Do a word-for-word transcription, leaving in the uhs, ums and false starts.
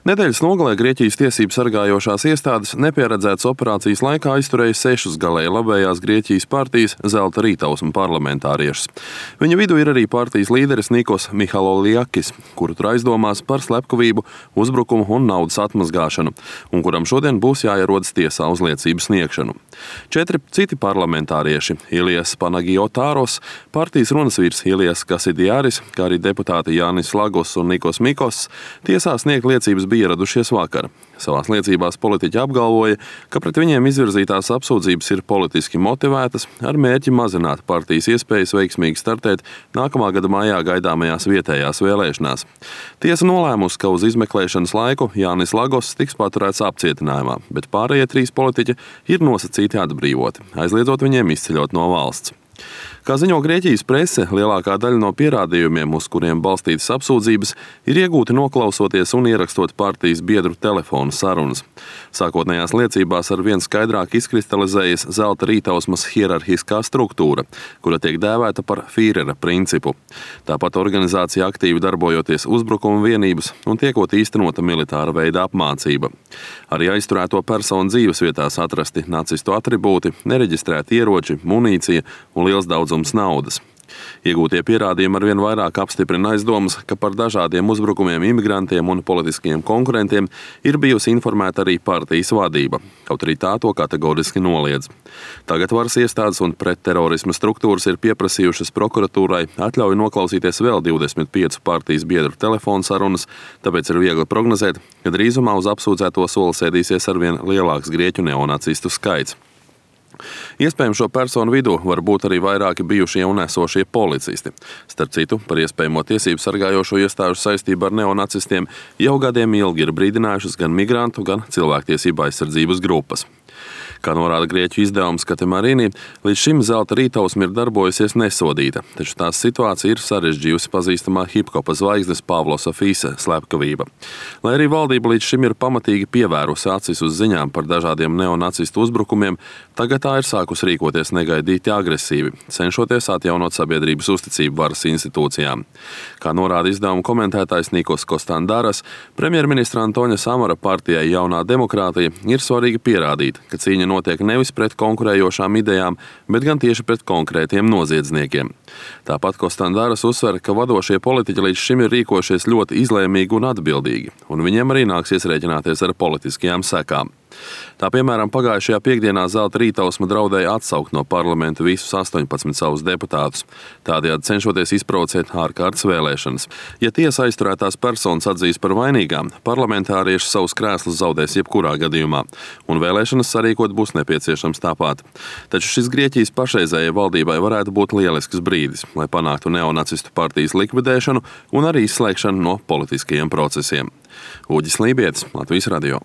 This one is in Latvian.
Nedēļas nogalē Grieķijas tiesību sargājošās iestādes nepieredzētas operācijas laikā aizturēja sešus galēji labējās Grieķijas partijas Zelta rītausma parlamentāriešus. Viņa vidū ir arī partijas līderis Nikos Mihaloliakis, kuru tur aizdomās par slepkavību, uzbrukumu un naudas atmazgāšanu, un kuram šodien būs jāierodas tiesā uz liecību sniegšanu. Četri citi parlamentārieši – Ilijas Panagiotāros, partijas runasvīrs Ilijas Kasidiāris, kā arī deputāti Jānis Lagos un Nikos Mikos, tiesā sniegt liecības bija ieradušies vakar. Savās liecībās politiķi apgalvoja, ka pret viņiem izvirzītās apsūdzības ir politiski motivētas ar mērķi mazināt partijas iespējas veiksmīgi startēt nākamā gada maijā gaidāmajās vietējās vēlēšanās. Tiesa nolēmusi, ka uz izmeklēšanas laiku Jānis Lagos tiks paturēts apcietinājumā, bet pārējie trīs politiķi ir nosacīti atbrīvoti, aizliedzot viņiem izceļot no valsts. Kā ziņo Grieķijas prese, lielākā daļa no pierādījumiem, uz kuriem balstītas apsūdzības, ir iegūti noklausoties un ierakstot partijas biedru telefonu sarunas. Sākotnējās liecībās ar vien skaidrāk izkristalizējas Zelta rītausmas hierarhiskā struktūra, kura tiek dēvēta par Fīrera principu. Tāpat organizācija aktīvi darbojoties uzbrukuma vienības un tiekot īstenota militāra veida apmācība. Arī aizturēto personu dzīves vietās atrasti nacistu atribūti, nereģistrēti ieroči, munīcija un liels daudzums naudas. Iegūtie pierādījumi arvien vairāk apstiprina aizdomas, ka par dažādiem uzbrukumiem imigrantiem un politiskiem konkurentiem ir bijusi informēta arī partijas vadība, kaut arī tā to kategoriski noliedz. Tagad varas iestādes un pretterorisma struktūras ir pieprasījušas prokuratūrai atļauju noklausīties vēl divdesmit piecu partijas biedru telefonu sarunas, tāpēc ir viegli prognozēt, ka drīzumā uz apsūdzēto soli sēdīsies arvien lielāks grieķu neonacistu skaits. Iespējams, šo personu vidū var būt arī vairāki bijušie un esošie policisti. Starp citu, par iespējamo tiesību sargājošo iestāžu saistību ar neonacistiem jau gadiem ilgi ir brīdinājušas gan migrantu, gan cilvēktiesību aizsardzības grupas. Kā norāda grieķu izdevums Katemarīni, līdz šim Zelta rītausma ir darbojusies nesodīta, taču tās situācija ir sarežģījusi pazīstamā hiphopa zvaigznes Pavlosa Fīsa slepkavība. Lai arī valdība līdz šim ir pamatīgi pievērusi acis uz ziņām par dažādiem neonacistu uzbrukumiem, tagad tā ir sākus rīkoties negaidīti agresīvi, cenšoties atjaunot sabiedrības uzticību varas institūcijām. Kā norāda izdevuma komentētājs Nikos Kostandaras, premjerministra Antoņa Samara partijai Jaunā demokrātija ir svarīgi pierādīt, ka cīņa notiek nevis pret konkurējošām idejām, bet gan tieši pret konkrētiem noziedzniekiem. Tāpat Kostandaras uzsver, ka vadošie politiķi līdz šim ir rīkojušies ļoti izlēmīgi un atbildīgi, un viņiem arī nāksies rēķināties ar politiskajām sekām. Tā piemēram, pagājušajā piekdienā Zelta rītausma draudēja atsaukt no parlamenta visus astoņpadsmit savus deputātus, tādējādi cenšoties izprovocēt ārkārtas vēlēšanas. Ja tiesa aizturētās personas atzīs par vainīgām, parlamentārieši savus krēslus zaudēs jebkurā gadījumā, un vēlēšanas sarīkot būs nepieciešams tāpat. Taču šis Grieķijas pašreizējai valdībai varētu būt lielisks brīdis, lai panāktu neonacistu partijas likvidēšanu un arī izslēgšanu no politiskajiem procesiem. Uģis Lībietis, Latvijas radio.